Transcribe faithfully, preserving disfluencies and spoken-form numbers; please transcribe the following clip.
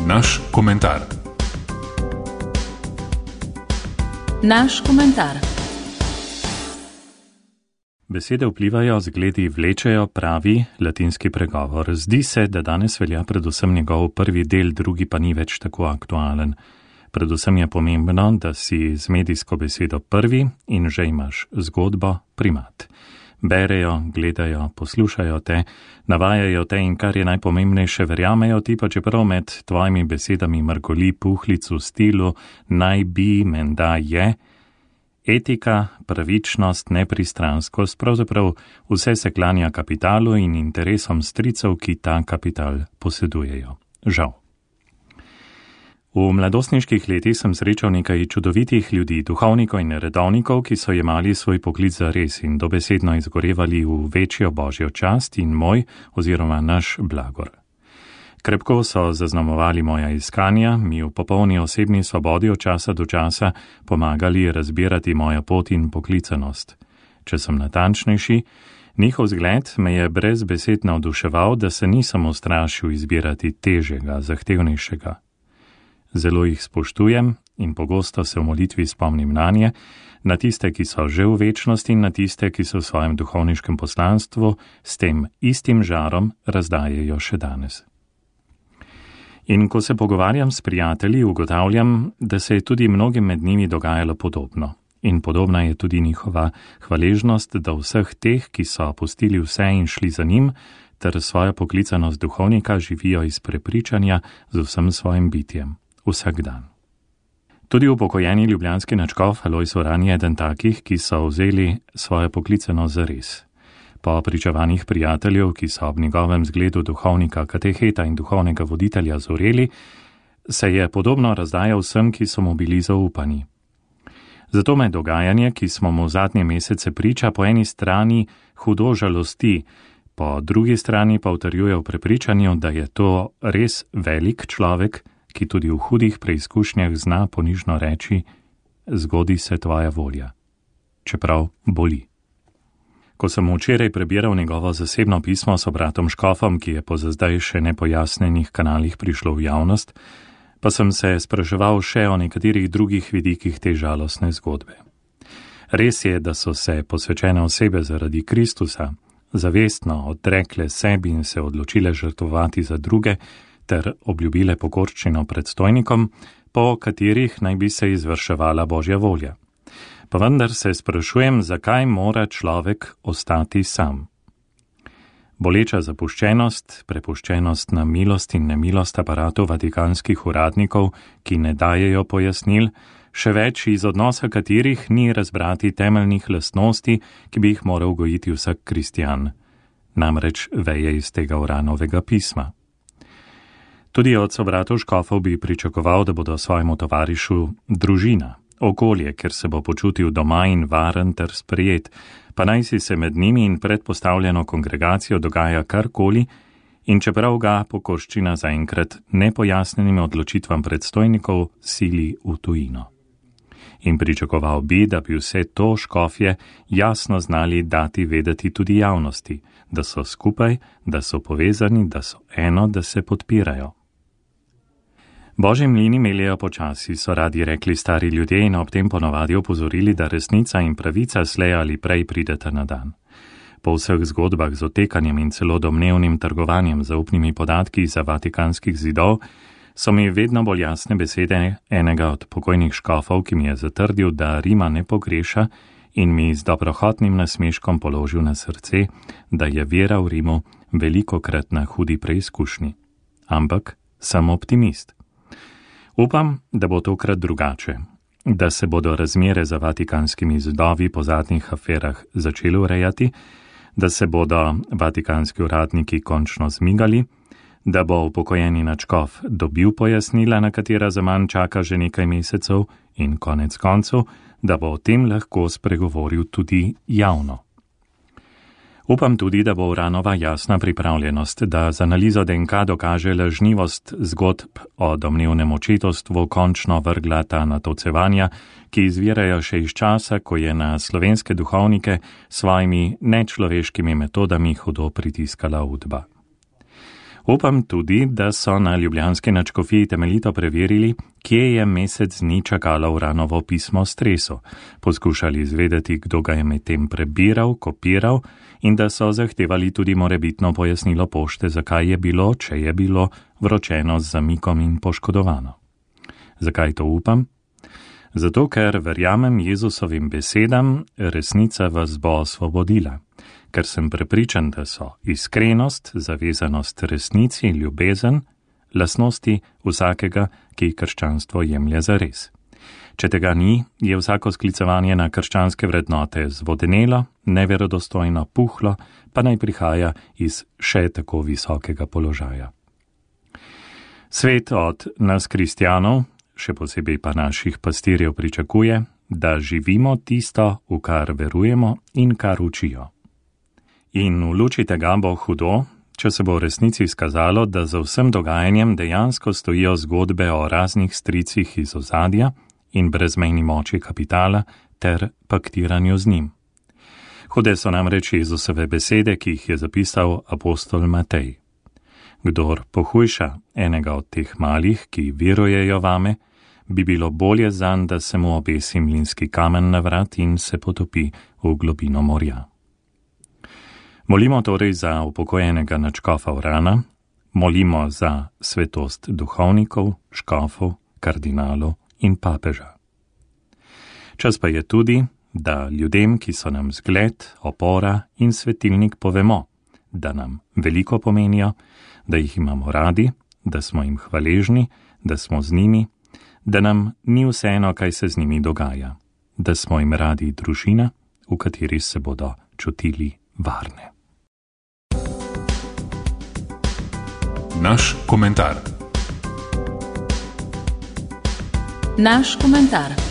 Naš komentar. Naš komentar. Besede vplivajo, zgledi vlečejo, pravi latinski pregovor. Zdi se, da danes velja predvsem njegov prvi del, drugi pa ni več tako aktualen. Predvsem je pomembno, da si z medijsko besedo prvi in že imaš zgodbo primat. Berejo, gledajo, poslušajo te, navajajo te in kar je najpomembnejše, verjamejo ti, pa čeprav med tvojimi besedami mrgoli puhlic v stilu naj bi, menda je. Etika, pravičnost, nepristranskost, pravzaprav vse se klanja kapitalu in interesom stricev, ki ta kapital posedujejo. Žal. V mladostniških letih sem srečal nekaj čudovitih ljudi, duhovnikov in redovnikov, ki so jemali svoj poklic za res in dobesedno izgorevali v večjo božjo čast in moj oziroma naš blagor. Krepko so zaznamovali moja iskanja, mi v popolni osebni svobodi od časa do časa pomagali razbirati mojo pot in poklicanost. Če sem natančnejši, njihov zgled me je brez besed navduševal, da se nisem ustrašil izbirati težjega, zahtevnejšega. Zelo jih spoštujem in pogosto se v molitvi spomnim nanje, na tiste, ki so že v večnosti in na tiste, ki so v svojem duhovniškem poslanstvu s tem istim žarom razdajajo še danes. In ko se pogovarjam s prijatelji, ugotavljam, da se je tudi mnogim med njimi dogajalo podobno. In podobna je tudi njihova hvaležnost do vseh teh, ki so pustili vse in šli za njim, ter svojo poklicanost duhovnika živijo iz prepričanja z vsem svojim bitjem, vsak dan. Tudi upokojeni ljubljanski nadškof Alojz Uran je eden takih, ki so vzeli svojo poklicanost za res. Po pričevanjih prijateljev, ki so ob njegovem zgledu duhovnika, kateheta in duhovnega voditelja zoreli, se je podobno razdajal vsem, ki so mu bili zaupani. Zato me dogajanje, ki smo mu zadnje mesece priča, po eni strani hudo žalosti, po drugi strani pa utrjuje v prepričanju, da je to res velik človek, ki tudi v hudih preizkušnjah zna ponižno reči, zgodi se tvoja volja, čeprav boli. Ko sem včeraj prebiral njegovo zasebno pismo s bratom Škofom, ki je po zdaj še nepojasnenih kanalih prišlo v javnost, pa sem se spraševal še o nekaterih drugih vidikih te žalostne zgodbe. Res je, da so se posvečene osebe zaradi Kristusa zavestno odrekle sebi in se odločile žrtvovati za druge ter obljubile pokorščino predstojnikom, po katerih naj bi se izvrševala Božja volja. Pa vendar se sprašujem, zakaj mora človek ostati sam. Boleča zapuščenost, prepuščenost na milost in nemilost aparatov vatikanskih uradnikov, ki ne dajejo pojasnil, še več iz odnosa katerih ni razbrati temeljnih lastnosti, ki bi jih moral gojiti vsak kristjan, namreč veje iz tega Uranovega pisma. Tudi od sobratov Škofov bi pričakoval, da bodo svojemu tovarišu družina, okolje, ker se bo počutil doma in varen ter sprejet, pa naj si se med njimi in predpostavljeno kongregacijo dogaja karkoli, in čeprav ga pokorščina zaenkrat nepojasnjenim odločitvam predstojnikov sili v tujino. In pričakoval bi, da bi vse to škofje jasno znali dati vedeti tudi javnosti, da so skupaj, da so povezani, da so eno, da se podpirajo. Božji mlini meljejo počasi, so radi rekli stari ljudje in ob tem ponovadi opozorili, da resnica in pravica slej ali prej prideta na dan. Po vseh zgodbah z otekanjem in celo domnevnim trgovanjem z zaupnimi podatki za vatikanskih zidov, so mi vedno bolj jasne besede enega od pokojnih škofov, ki mi je zatrdil, da Rima ne pogreša in mi z dobrohotnim nasmeškom položil na srce, da je vera v Rimu velikokrat na hudi preizkušnji. Ampak sem optimist. Upam, da bo tokrat drugače, da se bodo razmere za vatikanskimi zidovi po zadnjih aferah začeli urejati, da se bodo vatikanski uradniki končno zmigali, da bo upokojeni nadškof dobil pojasnila, na katera zaman čaka že nekaj mesecev in konec koncev, da bo o tem lahko spregovoril tudi javno. Upam tudi, da bo Uranova jasna pripravljenost, da z analizo D N K dokaže lažnivost zgodb o domnevnem očetovstvu končno vrgla ta natolcevanja, ki izvirajo še iz časa, ko je na slovenske duhovnike svojimi nečloveškimi metodami hudo pritiskala Udba. Upam tudi, da so na ljubljanski nadškofiji temeljito preverili, kje je mesec dni čakalo Uranovo pismo o stresu, poskušali izvedeti, kdo ga je medtem prebiral, kopiral in da so zahtevali tudi morebitno pojasnilo pošte, zakaj je bilo, če je bilo, vročeno z zamikom in poškodovano. Zakaj to upam? Zato, ker verjamem Jezusovim besedam, resnica vas bo osvobodila. Ker sem prepričan, da so iskrenost, zavezanost resnici, ljubezen, lastnosti vsakega, ki krščanstvo jemlje za res. Če tega ni, je vsako sklicevanje na krščanske vrednote zvodenelo, neverodostojno, puhlo, pa naj prihaja iz še tako visokega položaja. Svet od nas kristjanov, še posebej pa naših pastirjev, pričakuje, da živimo tisto, v kar verujemo in kar učijo. In v luči tega bo hudo, če se bo v resnici izkazalo, da za vsem dogajanjem dejansko stojijo zgodbe o raznih stricih iz ozadja in brezmejni moči kapitala ter paktiranju z njim. Hude so namreč Jezusove besede, ki jih je zapisal apostol Matej. Kdor pohujša enega od teh malih, ki verujejo vame, bi bilo bolje zanj, da se mu obesi mlinski kamen na vrat in se potopi v globino morja. Molimo torej za upokojenega nadškofa Urana, molimo za svetost duhovnikov, škofov, kardinalov in papeža. Čas pa je tudi, da ljudem, ki so nam zgled, opora in svetilnik, povemo, da nam veliko pomenijo, da jih imamo radi, da smo jim hvaležni, da smo z njimi, da nam ni vseeno, kaj se z njimi dogaja, da smo jim radi družina, v kateri se bodo čutili varne. Naš komentar. Naš komentar.